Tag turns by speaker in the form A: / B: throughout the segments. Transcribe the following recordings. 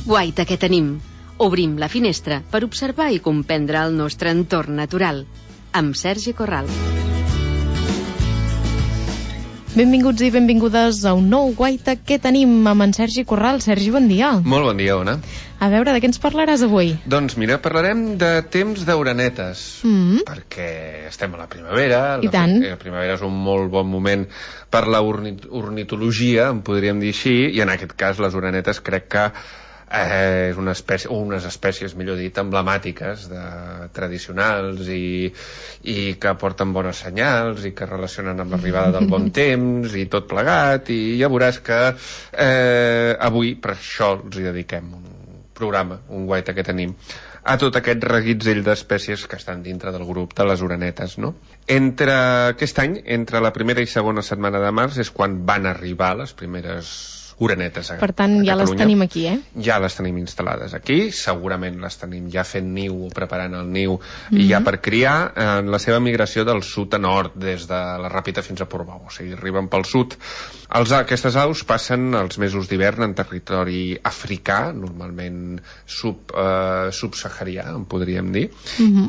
A: guaita que tenim. Obrim la finestra per observar i comprendre el nostre entorn natural. Amb Sergi Corral.
B: Benvinguts i benvingudes a un nou guaita que tenim amb en Sergi Corral. Sergi, bon dia.
C: Molt bon dia, Ona.
B: A veure, de què ens parlaràs avui?
C: Doncs mira, parlarem de temps d'orenetes, perquè estem a la primavera.
B: I tant.
C: La primavera és un molt bon moment per la ornitologia, en podríem dir així, i en aquest cas les orenetes crec que és una espècie, o unes espècies, millor dit, emblemàtiques, tradicionals i que porten bones senyals i que relacionen amb l'arribada del bon temps i tot plegat, i ja veuràs que avui per això els hi dediquem un programa, un guaita que tenim, a tot aquest reguitzell d'espècies que estan dintre del grup de les orenetes, no? Aquest any, entre la primera i segona setmana de març, és quan van arribar les primeres orenetes a Catalunya.
B: Per tant, ja les tenim aquí,
C: Ja les tenim instal·lades aquí, segurament les tenim ja fent niu o preparant el niu i ja per criar en la seva migració del sud a nord, des de la Ràpita fins a Portbou, o sigui, arriben pel sud. Aquestes aus passen els mesos d'hivern en territori africà, normalment subsaharià, en podríem dir,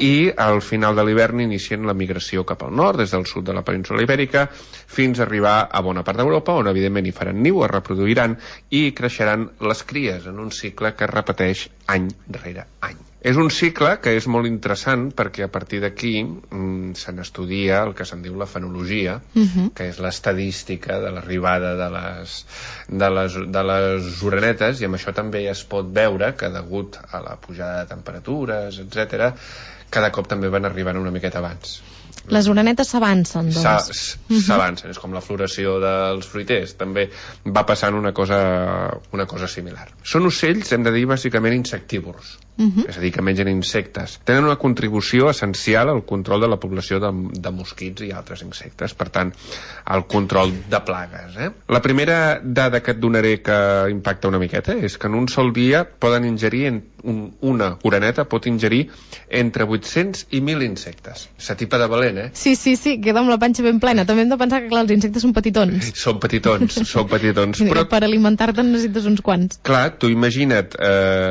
C: i al final de l'hivern inicien la migració cap al nord, des del sud de la península Ibèrica, fins a arribar a bona part d'Europa, on evidentment hi faran niu, es reproduiran i creixeran les cries en un cicle que es repeteix any rere any. És un cicle que és molt interessant perquè a partir d'aquí se n'estudia el que se'n diu la fenologia, que és l'estadística de l'arribada de les orenetes, i amb això també es pot veure que degut a la pujada de temperatures, etc., cada cop també van arribant una miqueta abans.
B: Les orenetes s'avancen, doncs.
C: S'avancen, és com la floració dels fruiters, també va passant una cosa similar. Són ocells, hem de dir, bàsicament insectívors, és a dir, que mengen insectes. Tenen una contribució essencial al control de la població de mosquits i altres insectes, per tant, al control de plagues. La primera dada que et donaré que impacta una miqueta és que en un sol dia poden ingerir, una oreneta pot ingerir entre 800 i 1.000 insectes. S'atipa de valent,
B: Sí, queda amb la panxa ben plena. També hem de pensar que, clar, els insectes són petitons.
C: Són petitons.
B: Però per alimentar-te necessites uns quants.
C: Clar, tu imagina't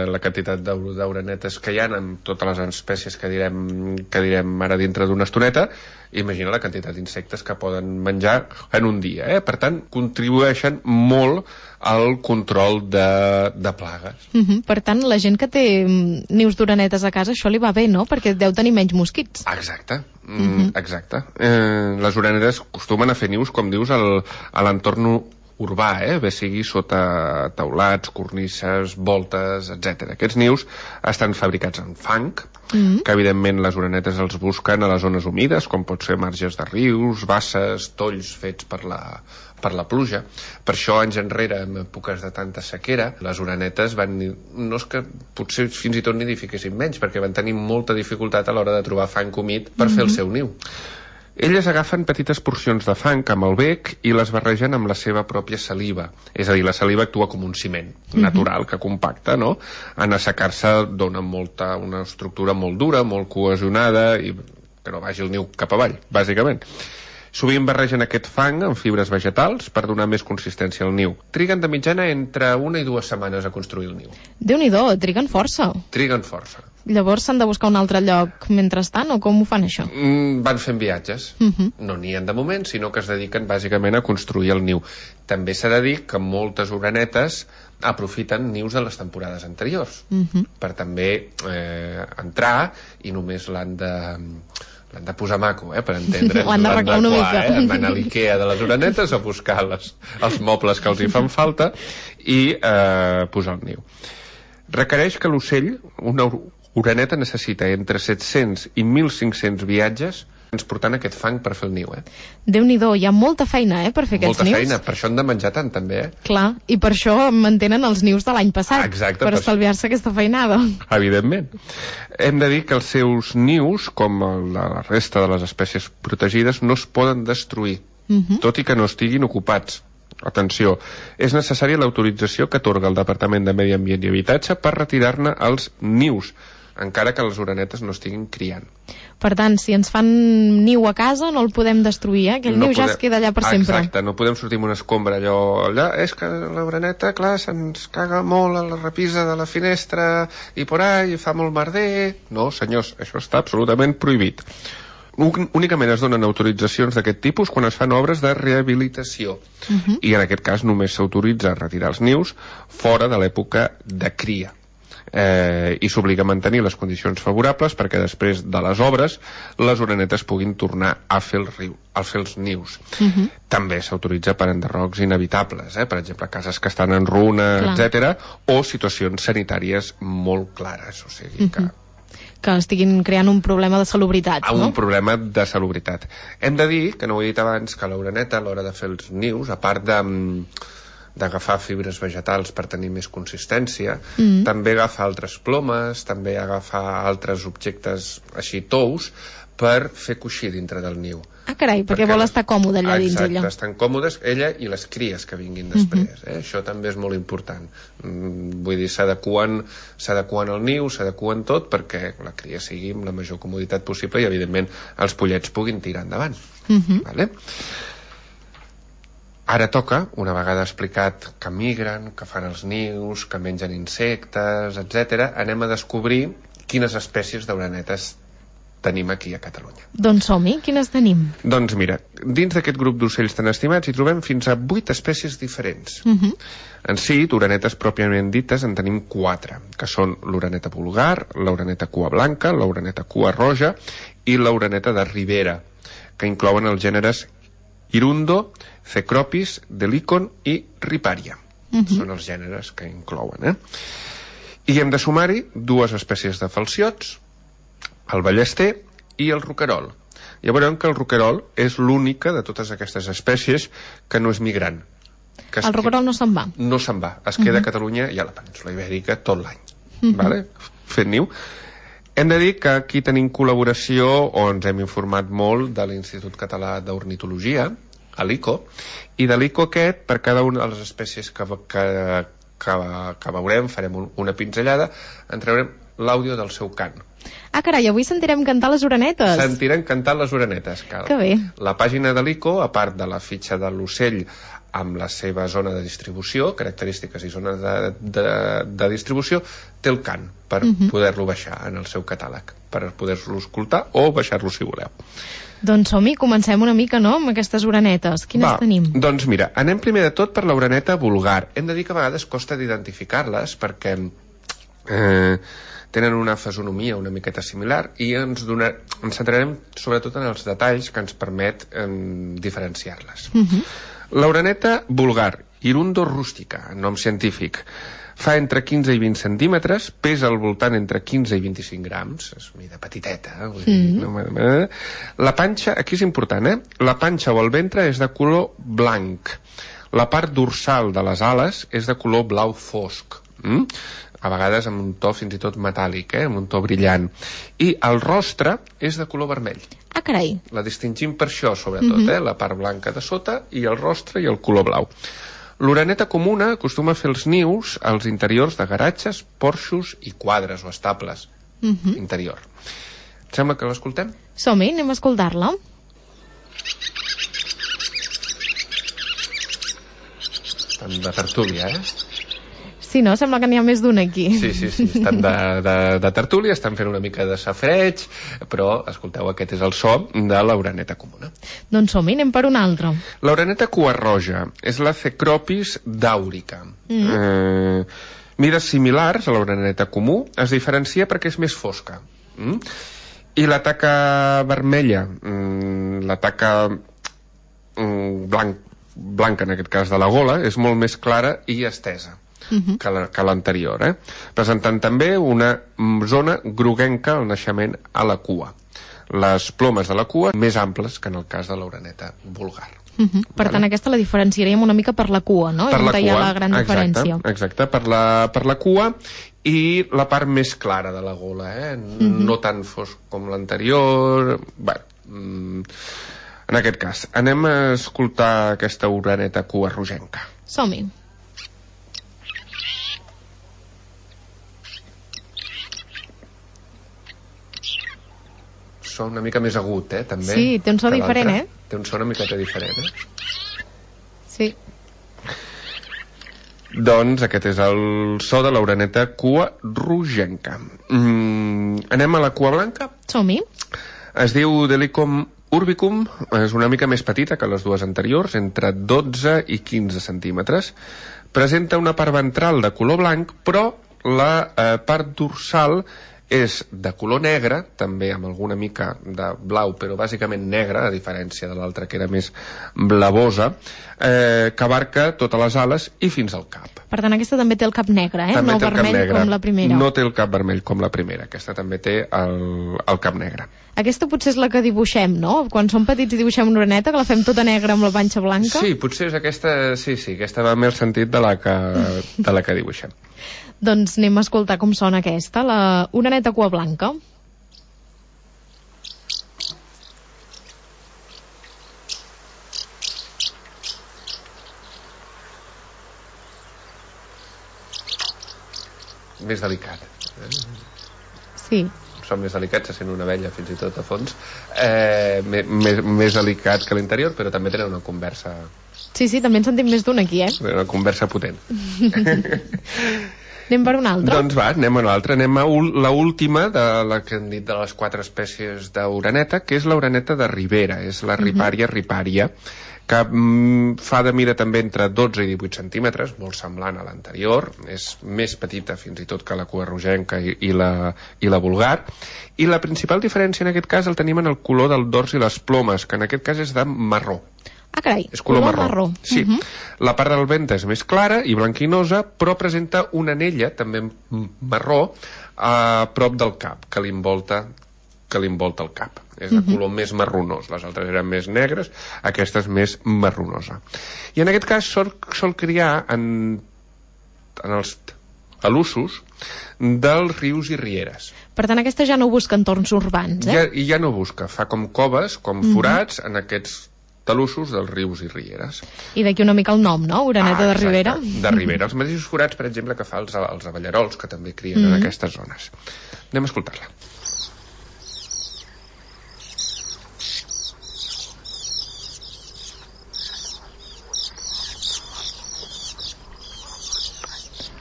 C: la quantitat d'orenetes que hi ha amb totes les espècies que direm ara dintre d'una estoneta. Imagina la quantitat d'insectes que poden menjar en un dia. Per tant, contribueixen molt al control de plagues.
B: Per tant, la gent que té nius d'orenetes a casa, això li va bé, no? Perquè deu tenir menys mosquits.
C: Exacte. Les orenetes acostumen a fer nius, com dius, a l'entorn urbà, bé sigui sota teulats, cornisses, voltes, etc. Aquests nius estan fabricats en fang, que evidentment les orenetes els busquen a les zones humides, com pot ser marges de rius, basses, tolls fets per la pluja. Per això, anys enrere, en èpoques de tanta sequera, les orenetes no és que potser fins i tot nidifiquessin menys, perquè van tenir molta dificultat a l'hora de trobar fang humit per fer el seu niu. Elles agafen petites porcions de fang amb el bec i les barregen amb la seva pròpia saliva. És a dir, la saliva actua com un ciment natural que compacta, no? En assecar-se dona una estructura molt dura, molt cohesionada i que no vagi el niu cap avall, bàsicament. Sovint barregen aquest fang amb fibres vegetals per donar més consistència al niu. Triguen de mitjana entre 1 i 2 setmanes a construir el niu.
B: Déu-n'hi-do, triguen força. Llavors s'han de buscar un altre lloc mentrestant, o com ho fan, això?
C: Van fent viatges. No n'hi ha de moment, sinó que es dediquen bàsicament a construir el niu. També s'ha de dir que moltes orenetes aprofiten nius de les temporades anteriors per també entrar i només l'han de posar maco, per entendre'ns.
B: L'han d'arreglar una mica.
C: Van a l'Ikea de les orenetes a buscar els mobles que els hi fan falta i posar el niu. Requereix que l'ocell, una oreneta, necessita entre 700 i 1.500 viatges transportant aquest fang per fer el niu.
B: Déu-n'hi-do, hi ha molta feina, per fer aquests nius.
C: Molta feina, per això han de menjar tant, també,
B: Clar, i per això mantenen els nius de l'any passat.
C: Exacte.
B: Per estalviar-se aquesta feinada.
C: Evidentment. Hem de dir que els seus nius, com la resta de les espècies protegides, no es poden destruir, tot i que no estiguin ocupats. Atenció, és necessària l'autorització que atorga el Departament de Medi Ambient i Habitatge per retirar-ne els nius. encara que les orenetes no estiguin criant.
B: Per tant, si ens fan niu a casa no el podem destruir, aquell niu ja es queda allà per sempre.
C: Exacte, no podem sortir amb una escombra allà, és que l'oreneta, clar, se'ns caga molt a la repisa de la finestra i por ahí, fa molt merder. No, senyors, això està absolutament prohibit. Únicament es donen autoritzacions d'aquest tipus quan es fan obres de rehabilitació. I en aquest cas només s'autoritza a retirar els nius fora de l'època de cria. I s'obliga a mantenir les condicions favorables perquè després de les obres les orenetes puguin tornar a fer els nius. També s'autoritza per enderrocs inevitables, per exemple, cases que estan en runa, etc., o situacions sanitàries molt clares, o sigui que
B: estiguin creant un problema de salubritat, no?
C: Un problema de salubritat. Hem de dir, que no ho he dit abans, que l'oreneta a l'hora de fer els nius, a part d'agafar fibres vegetals per tenir més consistència, també agafa altres plomes, també agafa altres objectes així tous per fer coixí dintre del niu.
B: Ah, carai, perquè vol estar còmode allà dins ella.
C: Exacte, estan còmodes ella i les cries que vinguin després. Això també és molt important. Vull dir, s'adequen al niu, s'adequen tot perquè la cria sigui amb la major comoditat possible i, evidentment, els pollets puguin tirar endavant. Vale? Ara toca, una vegada explicat que migren, que fan els nius, que mengen insectes, etc., anem a descobrir quines espècies d'orenetes tenim aquí a Catalunya.
B: Doncs som-hi, quines tenim?
C: Doncs mira, dins d'aquest grup d'ocells tan estimats hi trobem fins a 8 espècies diferents. En si, d'orenetes pròpiament dites en tenim 4, que són l'oreneta vulgar, l'oreneta cua blanca, l'oreneta cua roja i l'oreneta de Ribera, que inclouen els gèneres Hirundo, Cecropis, Delicon i Riparia. Són els gèneres que inclouen. I hem de sumar-hi 2 espècies de falciots, el ballester i el roquerol. Ja veurem que el roquerol és l'única de totes aquestes espècies que no és migrant.
B: El roquerol no se'n va?
C: No se'n va, es queda a Catalunya i a la península Ibèrica tot l'any, fent niu. Hem de dir que aquí tenim col·laboració, o ens hem informat molt, de l'Institut Català d'Ornitologia, a l'ICO, i de l'ICO aquest, per cada una de les espècies que veurem, farem una pinzellada, en traurem l'àudio del seu cant.
B: Ah, carai, avui sentirem cantar les orenetes.
C: Sentirem cantar les orenetes.
B: Que bé.
C: La pàgina de l'ICO, a part de la fitxa de l'ocell amb la seva zona de distribució, característiques i zones de distribució, té el cant per poder-lo baixar en el seu catàleg, per poder-lo escoltar o baixar-lo si voleu.
B: Doncs som-hi, comencem una mica, no?, amb aquestes orenetes. Quines tenim?
C: Doncs mira, anem primer de tot per l'oreneta vulgar. Hem de dir que a vegades costa d'identificar-les perquè tenen una fisonomia una miqueta similar i ens centrarem sobretot en els detalls que ens permet diferenciar-les. L'oreneta vulgar, Hirundo rustica, nom científic, fa entre 15 i 20 centímetres, pesa al voltant entre 15 i 25 grams, és mida petiteta. La panxa, aquí és important, la panxa o el ventre és de color blanc. La part dorsal de les ales és de color blau fosc. A vegades amb un to fins i tot metàl·lic, amb un to brillant. I el rostre és de color vermell.
B: Ah, carai.
C: La distingim per això, sobretot, la part blanca de sota i el rostre i el color blau. L'oreneta comuna acostuma a fer els nius als interiors de garatges, porxos i quadres o estables interior. Et sembla que l'escoltem?
B: Som-hi, anem a escoltar-la.
C: Estan de tertúlia,
B: Sí, no? Sembla que n'hi ha més d'un aquí.
C: Sí, estan de tertúlia, estan fent una mica de safreig, però, escolteu, aquest és el so de l'oreneta comuna.
B: Doncs som-hi, anem per una altra.
C: L'oreneta cua roja és la Cecropis daurica. Mides similars a l'oreneta comú, es diferencia perquè és més fosca. I la taca vermella, la taca blanca, en aquest cas de la gola, és molt més clara i estesa que l'anterior, presentant també una zona groguenca al naixement a la cua. Les plomes de la cua més amples que en el cas de l'oreneta vulgar.
B: Per tant, aquesta la diferenciaríem una mica per la cua, no?
C: Per la cua,
B: hi ha la gran diferència.
C: Exacte, per la cua i la part més clara de la gola, no tan fosc com l'anterior. En aquest cas, anem a escoltar aquesta oreneta cua rogenca.
B: Som-hi.
C: so una mica més agut, també.
B: Sí, té un so diferent,
C: Té un so una miqueta diferent,
B: Sí.
C: Doncs aquest és el so de l'oreneta cua rogenca. Anem a la cua blanca?
B: Som-hi.
C: Es diu Delycon urbicum, és una mica més petita que les dues anteriors, entre 12 i 15 centímetres. Presenta una part ventral de color blanc, però la part dorsal és de color negre, també amb alguna mica de blau, però bàsicament negre, a diferència de l'altra que era més blavosa, que abarca totes les ales i fins al cap.
B: Per tant, aquesta també té el cap negre, no vermell com la primera.
C: No té el cap vermell com la primera, aquesta també té el cap negre.
B: Aquesta potser és la que dibuixem, no? Quan som petits i dibuixem una oreneta, que la fem tota negra amb la panxa blanca.
C: Sí, potser és aquesta, sí, aquesta va més sentit de la que dibuixem.
B: Doncs anem a escoltar com sona aquesta, la oreneta cua blanca.
C: Més delicat.
B: Sí.
C: Som més delicats, se sent una abella fins i tot a fons. Més delicat que l'interior, però també tenen una conversa...
B: Sí, també en sentim més d'un aquí,
C: Una conversa potent.
B: Anem per una altra?
C: Doncs va, anem a una altra. Anem a l'última de la que hem dit de les 4 espècies d'oreneta, que és l'oreneta de Ribera, és la Riparia riparia, que fa de mida també entre 12 i 18 centímetres, molt semblant a l'anterior, és més petita fins i tot que la cua rogenca i la vulgar, i la principal diferència en aquest cas el tenim en el color del dors i les plomes, que en aquest cas és de marró.
B: Ah, carai,
C: és color marró. Sí. La part del ventre és més clara i blanquinosa, però presenta una anella, també marró, a prop del cap, que li envolta el cap. És de color més marronós. Les altres eren més negres, aquesta és més marronosa. I en aquest cas sol criar en els talussos dels rius i rieres.
B: Per tant, aquesta ja no busca entorns urbans,
C: Ja no busca. Fa com coves, com forats, en aquests talussos dels rius i rieres.
B: I d'aquí una mica el nom, no? Oreneta de Ribera.
C: De Ribera. Els mateixos forats, per exemple, que fa els abellerols, que també crien en aquestes zones. Anem a escoltar-la.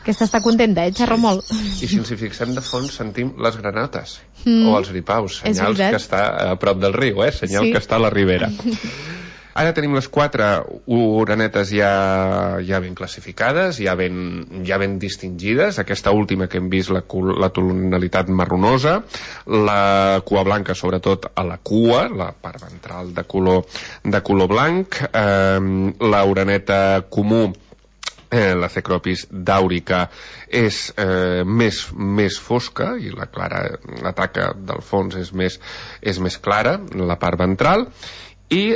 B: Aquesta està contenta, xerra molt.
C: I si ens hi fixem de fons sentim les granotes o els ripaus, senyals que està a prop del riu, senyal que està a la ribera. Ara tenim les 4 orenetes ja ben classificades, ja ben distingides. Aquesta última que hem vist, la tonalitat marronosa, la cua blanca sobretot a la cua, la part ventral de color blanc, l'oreneta comú, la Cecropis daurica, és més fosca i la taca del fons és més clara, la part ventral, i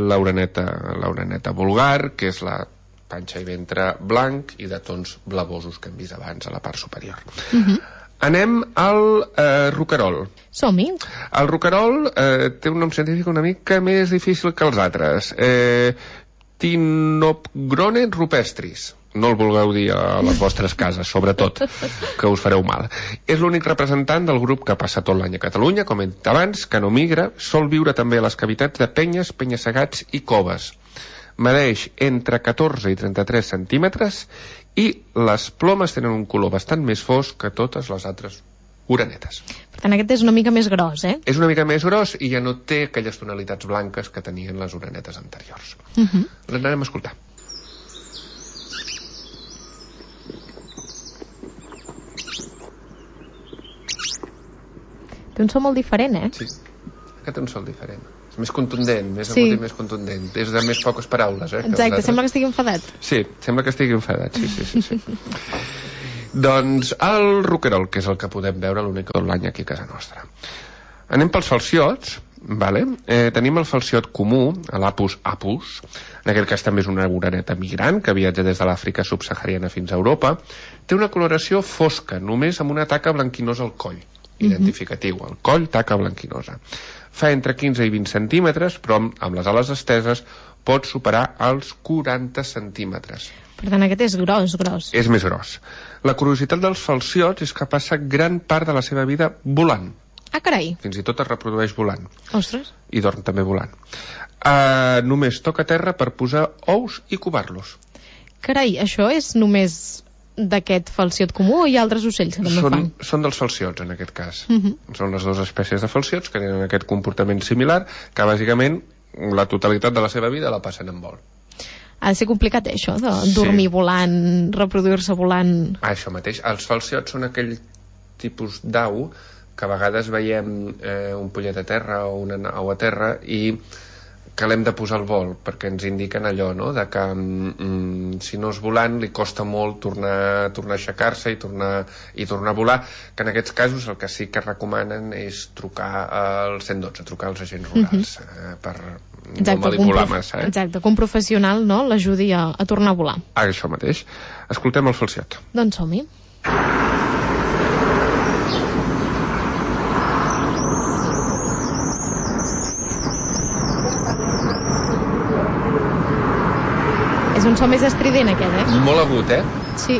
C: l'oreneta vulgar, que és la panxa i ventre blanc i de tons blavosos que hem vist abans a la part superior. Anem al roquerol.
B: Som-hi.
C: El roquerol té un nom científic una mica més difícil que els altres. Tinopgrone rupestris. No el vulgueu dir a les vostres cases, sobretot, que us fareu mal. És l'únic representant del grup que passa tot l'any a Catalunya, com he dit abans, que no migra, sol viure també a les cavitats de penyes, penya-segats i coves. Medeix entre 14 i 33 centímetres i les plomes tenen un color bastant més fosc que totes les altres orenetes.
B: Per tant, aquest és una mica més gros,
C: És una mica més gros i ja no té aquelles tonalitats blanques que tenien les orenetes anteriors. L'anem a escoltar.
B: Té un so molt diferent,
C: Sí, aquest té un so diferent. És més contundent, més agut i més contundent. És de més poques paraules,
B: Exacte, sembla que estigui enfadat.
C: Sí, sembla que estigui enfadat, sí. Doncs el roquerol, que és el que podem veure l'únic tot l'any aquí a casa nostra. Anem pels falciots, vale? Tenim el falciot comú, l'Apus apus, en aquest cas també és una oreneta migrant que viatja des de l'Àfrica subsahariana fins a Europa. Té una coloració fosca, només amb una taca blanquinosa al coll, identificatiu, el coll, taca blanquinosa. Fa entre 15 i 20 centímetres, però amb les ales esteses pot superar els 40 centímetres.
B: Per tant, aquest és gros.
C: És més gros. La curiositat dels falciots és que passa gran part de la seva vida volant.
B: Ah, carai.
C: Fins i tot es reprodueix volant.
B: Ostres.
C: I dorm també volant. Només toca terra per posar ous i covar-los.
B: Carai, això és només d'aquest falciot comú o hi ha altres ocells que també fan?
C: Són dels falciots, en aquest cas. Són les dues espècies de falciots que tenen aquest comportament similar, que bàsicament la totalitat de la seva vida la passen en vol.
B: Ha de ser complicat, això, de dormir volant, reproduir-se volant...
C: Això mateix. Els falciots són aquell tipus d'au que a vegades veiem un pollet a terra o una au a terra i que l'hem de posar al vol, perquè ens indiquen allò, no?, de que si no és volant li costa molt tornar a aixecar-se i tornar a volar, que en aquests casos el que sí que recomanen és trucar al 112, trucar als agents rurals, per no manipular massa.
B: Exacte, que un professional, no?, l'ajudi a tornar a volar.
C: Això mateix. Escoltem el falciot.
B: Doncs som-hi. És un so més estrident, aquest,
C: Molt agut,
B: Sí.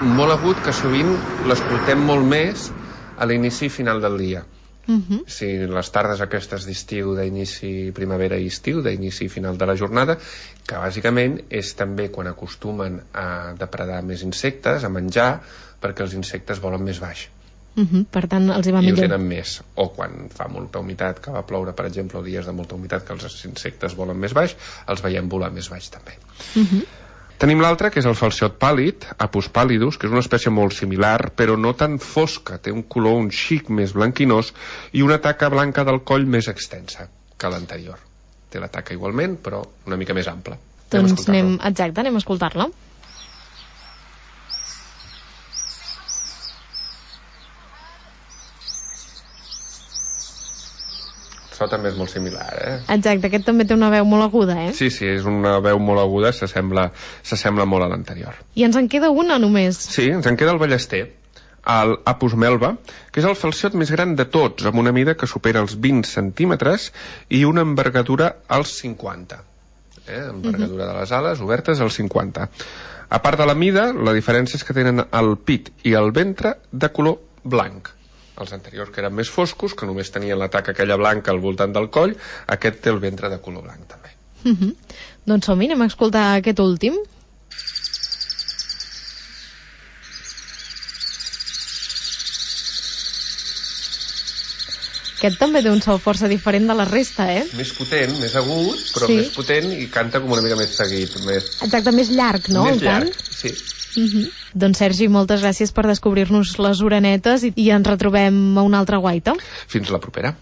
C: Molt agut, que sovint l'escoltem molt més a l'inici i final del dia. Si les tardes aquestes d'estiu, d'inici primavera i estiu, d'inici i final de la jornada, que bàsicament és també quan acostumen a depredar més insectes, a menjar, perquè els insectes volen més baix.
B: Per tant, els hi va millor.
C: I ho tenen més. O quan fa molta humitat, que va ploure, per exemple, o dies de molta humitat, que els insectes volen més baix, els veiem volar més baix també. Tenim l'altre, que és el falciot pàl·lid, Apus pallidus, que és una espècie molt similar, però no tan fosca. Té un color un xic més blanquinós i una taca blanca del coll més extensa que l'anterior. Té la taca igualment, però una mica més ampla.
B: Doncs anem a escoltar-la.
C: El so també és molt similar,
B: Exacte, aquest també té una veu molt aguda,
C: Sí, és una veu molt aguda, s'assembla molt a l'anterior.
B: I ens en queda una només.
C: Sí, ens en queda el ballester, el Apus melba, que és el falciot més gran de tots, amb una mida que supera els 20 centímetres i una envergadura als 50. Envergadura de les ales obertes als 50. A part de la mida, la diferència és que tenen el pit i el ventre de color blanc. Els anteriors, que eren més foscos, que només tenien la taca aquella blanca al voltant del coll, aquest té el ventre de color blanc també.
B: Doncs som-hi, anem a escoltar aquest últim. Aquest també té un so força diferent de la resta,
C: Més potent, més agut, però més potent i canta com una mica més seguit.
B: Exacte, més llarg, no?
C: Més llarg, sí.
B: Doncs Sergi, moltes gràcies per descobrir-nos les orenetes i ens retrobem a una altra guaita.
C: Fins la propera.